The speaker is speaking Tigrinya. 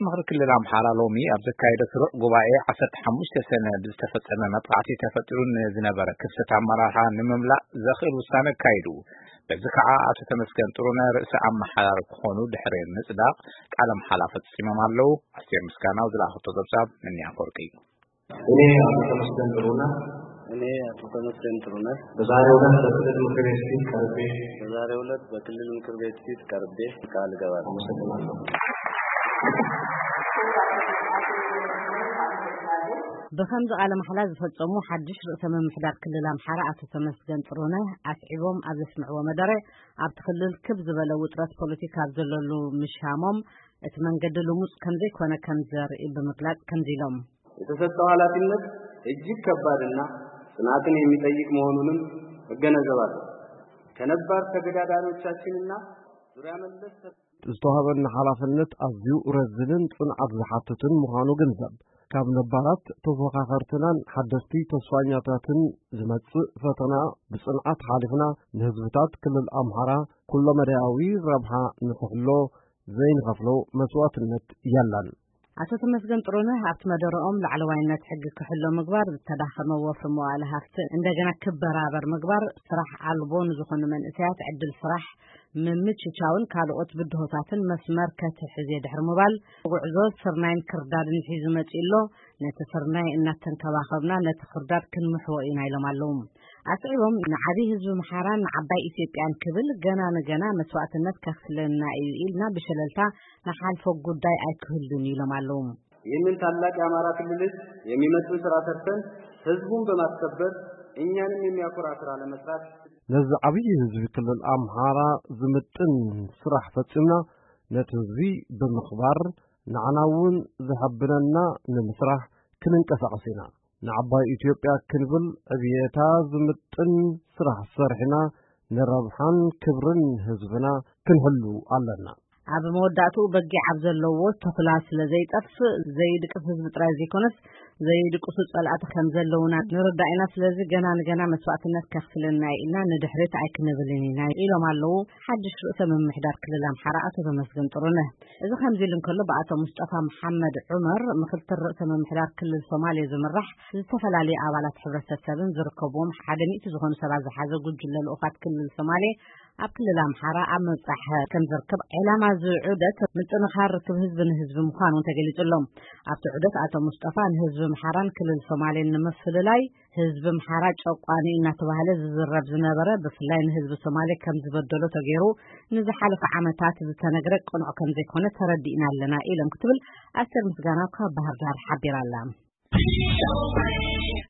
ምኽሪ ክልል ኣምሓራ ሎሚ ኣብ ዘካየዶ ስሩዕ ጉባኤ ዓሰርተ ሓሙሽተ ሰነ ብዝተፈጸመ መጥቃዕቲ ተፈጢሩ ንዝነበረ ክፍተት ኣመራርሓ ንምምላእ ዘኽእል ውሳነ ኣካይዱ። በዚ ከዓ ኣቶ ተመስገን ጥሩነህ ርእሰ ኣመሓዳሪ ክኾኑ ድሕሪ ምጽዳቕ ቃለ መሓላ ፈጺሞም ኣለዉ። ኣስቴር ምስጋናው ዝለኣኸቶ ጸብጻብ ምንያ ኣፈወርቂ። እኔ አቶ ተመስገን ጥሩነህ እኔ አቶ ተመስገን ጥሩነህ በዛሬው ዕለት በክልል ምክር ቤት ፊት ቀርቤ በዛሬው ዕለት በክልል ምክር ቤት ፊት ቀርቤ ቃል እገባለሁ። አመሰግናለሁ። ብኸምዚ ቃለ ማሕላ ዝፈጸሙ ሓድሽ ርእሰ ምምሕዳር ክልል ኣምሓራ ኣቶ ተመስገን ጥሩነህ ኣስዒቦም ኣብ ዘስምዕዎ መደረ፣ ኣብቲ ክልል ክብ ዝበለ ውጥረት ፖለቲካ ኣብ ዘለሉ ምሻሞም፣ እቲ መንገዲ ልሙጽ ከምዘይኮነ ከም ዘርኢ ብምግላጽ ከምዚ ኢሎም። የተሰጠው ኃላፊነት እጅግ ከባድና ጽናትን የሚጠይቅ መሆኑንም እገነዘባለሁ። ከነባር ተገዳዳሪዎቻችንና ዙሪያ መለስ ዝተዋህበና ሓላፍነት ኣዝዩ ረዝንን ጽንዓት ዝሓትትን ምዃኑ ግንዘብ። ካብ ነባራት ተፎኻኸርትናን ሓደስቲ ተስፋኛታትን ዝመጽእ ፈተና ብጽንዓት ሓሊፍና፣ ንህዝብታት ክልል ኣምሓራ ኩለመዳያዊ ረብሓ ንኽሕሎ ዘይንኸፍሎ መስዋእትነት የለን። ኣቶ ተመስገን ጥሩነህ ኣብቲ መደረኦም፣ ላዕለዋይነት ሕጊ ክሕሎ ምግባር፣ ዝተዳኸመ ወፍሪ መዋእለ ሃፍቲ እንደገና ክበራበር ምግባር፣ ስራሕ ኣልቦ ንዝኾኑ መንእሰያት ዕድል ስራሕ ምምችቻውን ካልኦት ብድሆታትን መስመር ከትሕዝ እየ ድሕሪ ምባል፣ ጉዕዞ ስርናይን ክርዳድን ሒዙ መጺኡ ኣሎ። ነቲ ስርናይ እናተንከባኸብና ነቲ ክርዳድ ክንምሕዎ ኢና ኢሎም ኣለዉ። ኣስዒቦም፣ ንዓብዪ ህዝቢ ምሓራን ንዓባይ ኢትዮጵያን ክብል ገና ንገና መስዋእትነት ከኽፍለና እዩ ኢልና ብሸለልታ ንሓልፎ ጉዳይ ኣይክህሉን እዩ ኢሎም ኣለዉ። ይህንን ታላቅ የአማራ ክልል ህዝብ የሚመስል ስራ ሰርተን ህዝቡን በማስከበር እኛንም የሚያኮራ ስራ ለመስራት ነዚ ዓብዪ ህዝቢ ክልል ኣምሓራ ዝምጥን ስራሕ ፈጺምና ነቲ ህዝቢ ብምኽባር ንዓና እውን ዘሐብነና ንምስራሕ ክንንቀሳቐስ ኢና። ንዓባይ ኢትዮጵያ ክንብል ዕብየታ ዝምጥን ስራሕ ሰሪሕና ንረብሓን ክብርን ህዝብና ክንሕሉ ኣለና። ኣብ መወዳእትኡ በጊዕ ኣብ ዘለዎ ተኹላ ስለ ዘይጠፍእ ዘይድቅስ ህዝቢ ጥራይ ዘይኮነስ ዘይድቅሱ ጸላእቲ ከም ዘለውና ንርዳእ ኢና። ስለዚ ገና ንገና መስዋእትነት ከኽፍለና እዩ ኢልና ንድሕሪት ኣይክንብልን ኢና ኢሎም ኣለዉ ሓድሽ ርእሰ ምምሕዳር ክልል ኣምሓራ ኣቶ ተመስገን ጥሩነህ። እዚ ከምዚ ኢሉ እንከሎ ብኣቶ ሙስጠፋ መሓመድ ዑመር ምኽትል ርእሰ ምምሕዳር ክልል ሶማሌ ዝምራሕ ዝተፈላለዩ ኣባላት ሕብረተሰብን ዝርከብዎም ሓደ ሚእቲ ዝኾኑ ሰባት ዝሓዘ ጉጅለ ልኡኻት ክልል ሶማሌ ኣብ ክልል ኣምሓራ ኣብ ምብጻሕ ከም ዝርከብ ዕላማ እዚ ዑደት ምጥንኻር ርክብ ህዝቢ ንህዝቢ ምዃኑ እውን ተገሊጹ ኣሎ። ኣብቲ ዑደት ኣቶ ሙስጠፋ ንህዝቢ ኣምሓራን ክልል ሶማሌን ንምፍልላይ ህዝቢ ኣምሓራ ጨቋኒ እናተባህለ ዝዝረብ ዝነበረ ብፍላይ ንህዝቢ ሶማሌ ከም ዝበደሎ ተገይሩ ንዝሓለፈ ዓመታት ዝተነግረ ቅኑዕ ከም ዘይኮነ ተረዲእና ኣለና ኢሎም ክትብል ኣስቴር ምስጋናው ካብ ባህር ዳር ሓቢራ ኣላ።